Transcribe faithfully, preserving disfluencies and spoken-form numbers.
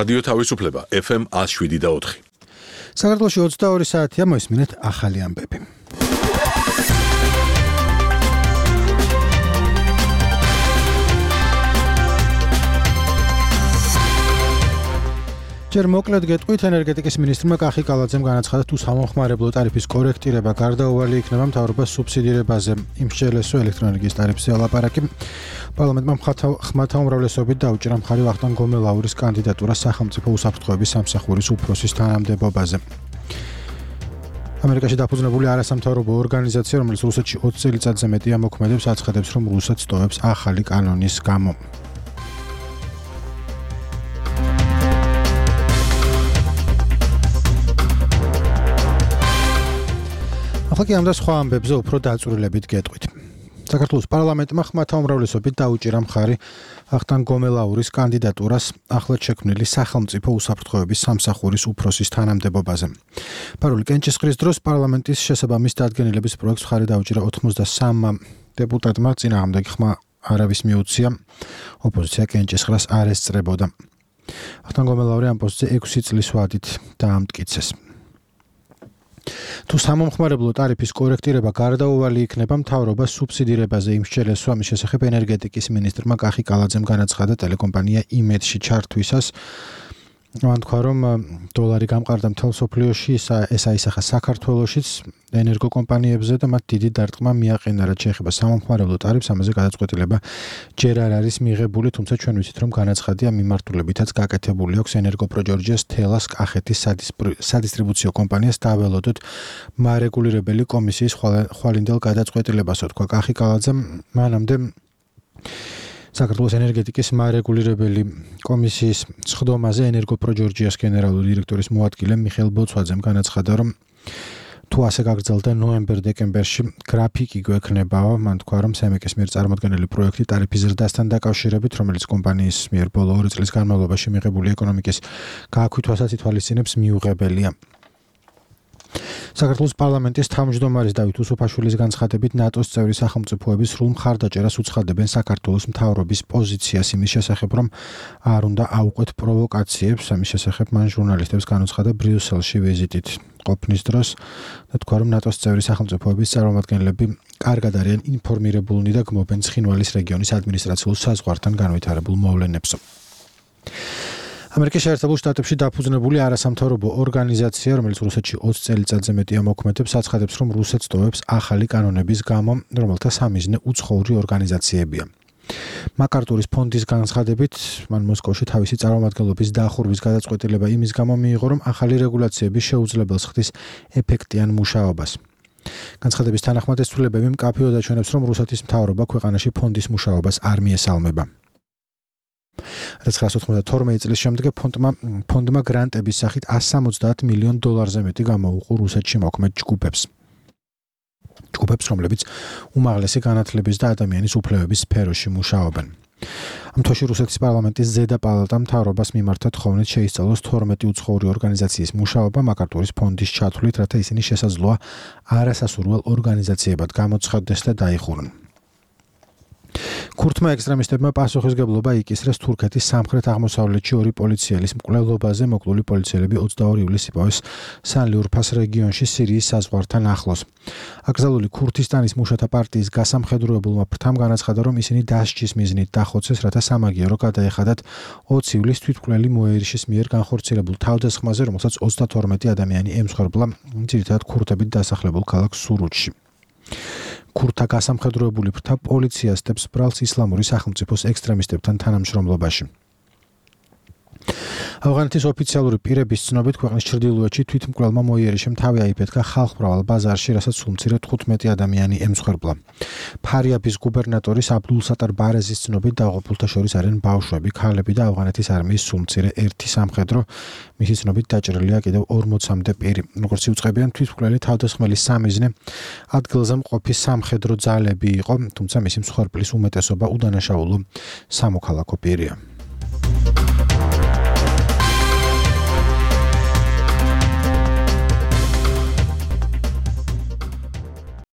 რადიო თავისუფლება ეფ ემ ათს შვიდი და ოთხი. საქართველოში ოცდაორი საათია, მოისმინეთ ახალი ამბები. ჯერ მოკლედ გეტყვით, ენერგეტიკის მინისტრმა კახი კალაძემ განაცხადა, თუ სამომხმარებლო ტარიფის კორექტირება გარდაუვალი იქნება მთავრობას სუბსიდირებაზე. იმ შეელესო ელექტროენერგიის ტარიფზე ლაპარაკი. პარლამენტმა ხმათა უმრავლესობით დაუჭირა მხარი ვახტანგ გომელაურის კანდიდატურას სახელმწიფო უსაფრთხოების სამსახურის უფროსის თანამდებობაზე. ამერიკაში დაფუძნებული არასამთავრობო ორგანიზაცია, რომელიც რუსეთში ოცი წელიწადზე მეტია მოქმედებს, აცხადებს, რომ რუსეთს ტოვებს ახალი კანონის გამო. ახლა კი ამ და სხვა ამბებზე უფრო დაწვრილებით გეტყვით. საქართველოს პარლამენტმა ხმათა უმრავლესობით დაუჭირა მხარი ვახტანგ გომელაურის კანდიდატურას ახლად შექმნილი სახელმწიფო უსაფრთხოების სამსახურის უფროსის თანამდებობაზე. პარული კენჭისყრის დროს პარლამენტის შესაბამის დადგენილების პროექტს მხარი დაუჭირა ოცდასამმა დეპუტატმა, წინააღმდეგ ხმა არავის მიუწია, ოპოზიცია კენჭისყრას არ ესწრებოდა. ვახტანგ გომელაური ამ პოსტზე ექვსი წლის ვადით დაამტკიცეს. თუ სამომხმარებლო ტარიფის კორექტირება გარდაუვალი იქნება, მთავრობა სუბსიდირებაზე იმ შეელესვა, მის შესახებ ენერგეტიკის მინისტრმა კახი კალაძემ განაცხადა ტელეკომპანია იმედში ჩართვისას. მან თქვა, რომ დოლარი გამყარდა მთელ მსოფლიოში, ეს აისახა საქართველოშიც ენერგოკომპანიებზე და მათ დიდი დარტყმა მიაყენა, რაც შეეხება სამომხმარებლო ტარიფს, ამაზე გადაწყვეტილება ჯერ არ არის მიღებული, თუმცა ჩვენ ვიცით, რომ განაცხადია მიმართულებითაც გაკეთებული აქვს ენერგოპროჯორჯიას თელას კახეთის სადისტრიბუციო კომპანიას დაველოდოთ მარეგულირებელი კომისიის ხვალინდელ გადაწყვეტილებასო, თქვა კახი კალაძემ. მანამდე საქართველოს ენერგეტიკის მარეგულირებელი კომისიის სხდომაზე ენერგოპროჯორჯიას გენერალური დირექტორის მოადგილე მიხეილ ბოცვაძემ განაცხადა, რომ თუ ასე გაგრძელდა ნოემბერ-დეკემბერში გრაფიკი გვექნებაო. მან თქვა, რომ სემეკის მიერ წარმოდგენილი პროექტი ტარიფის ზრდასთან დაკავშირებით, რომელიც კომპანიის მიერ ბოლო ორი წლის განმავლობაში მიღებული ეკონომიკის გააქვითვასაც ითვალისწინებს, მიუღებელია. საქართველოს პარლამენტის თავმჯდომარის დავით უსუფაშვილის განცხადებით, ნატოს წევრი სახელმწიფოები სრულ მხარდაჭერას უცხადებენ საქართველოს მთავრობის პოზიციას იმის შესახებ, რომ არ უნდა აუყვეთ პროვოკაციებს. ამის შესახებ მან ჟურნალისტებს განუცხადა ბრიუსელში ვიზიტით ყოფნის დროს და თქვა, რომ ნატოს წევრი სახელმწიფოების წარმომადგენლები კარგად არიან ინფორმირებულნი და გმობენ ცხინვალის რეგიონის ადმინისტრაციულ საზღვართან განვითარებულ მოვლენებს. ამერიკის შეერთებულ შტატებში დაფუძნებული არასამთავრობო ორგანიზაცია, რომელიც რუსეთში ოცი წელიწადზე მეტია მოქმედებს, აცხადებს, რომ რუსეთს ტოვებს ახალი კანონების გამო, რომელთა სამიზნე უცხოური ორგანიზაციებია. მაკარტურის ფონდის განცხადებით, მან მოსკოვში თავისი წარმომადგენლობის დახურვის გადაწყვეტილება იმის გამო მიიღო, რომ ახალი რეგულაციები შეუძლებელს ხდის ეფექტიან მუშაობას. განცხადების თანახმად ეს ცვლილებები მკაფიოდ აჩვენებს, რომ რუსეთის მთავრობა ქვეყანაში ფონდის მუშაობას არ მიესალმება. რადგან ოცდათორმეტი წლის შემდეგ ფონდმა ფონდმა გრანტების სახით εκατს სამოცდაათ მილიონ დოლარზე მეტი გამოუყო რუსეთში მოქმედ ჯგუფებს. ჯგუფებს, რომლებიც უმაღლესი განათლების და ადამიანის უფლებების სფეროში მუშაობენ. ამ თვეში რუსეთის პარლამენტის ზედა პალატამ მთავრობას მიმართა თხოვნით შეისწავლოს თორმეტი უცხოური ორგანიზაციის მუშაობა მაკარტურის ფონდის ჩათვლით, რათა ისინი შესაძლოა არასასურველ ორგანიზაციებად გამოცხადდეს და დაიხურონ. ქურთმა ექსტრემისტებმა პასუხისგებლობა იკისრეს თურქეთის სამხრეთ-აღმოსავლეთში ორი პოლიციელის მკვლელობაზე. მოკლული პოლიციელები ოცდაორი ივლისს იპოვეს სან-ლიურფას რეგიონში სირიის საზღვართან ახლოს. აკრძალული ქურთისტანის მუშათა პარტიის გასამხედროებულმა ფრთამ განაცხადა, რომ ისინი დასჯის მიზნით დახოცეს, რათა სამაგიერო გადაეხადათ ოცი ივლისს თვითმკვლელი მოერიშის მიერ განხორციელებულ თავდასხმაზე, რომელსაც ოცდათორმეტი ადამიანი ემსხვერპლა, ძირითადად ქურთებით დასახლებულ ქალაქ სურუჩში. ქურთა გასამხედროებული ფრთა პოლიციას დებს ბრალს ისლამური სახელმწიფოს ექსტრემისტებთან თანამშრომლობაში. ავღანეთის ოფიციალური პირების ცნობით, ქვეყნის ჩრდილოეთში თვითმკვლელმა მოიერიშემ თავი აიფეთქა ხალხმრავალ ბაზარში, რასაც სულ მცირედ თხუთმეტი ადამიანი ემსხვერპლა. ფარიაბის გუბერნატორის აბდულსატარ ბარეზის ცნობით, დაღუპულთა შორის არიან ბავშვები, ქალები და ავღანეთის არმიის სულ მცირე ერთი სამხედრო. მისი ცნობით დაჭრილია კიდევ ორმოცამდე პირი. როგორც იუწყებიან, თვითმკვლელი თავდასხმელის სამიზნე ადგილზე მყოფი სამხედრო ძალები იყო, თუმცა მისი მსხვერპლის უმეტესობა უდანაშაულო სამოქალაქო პირია.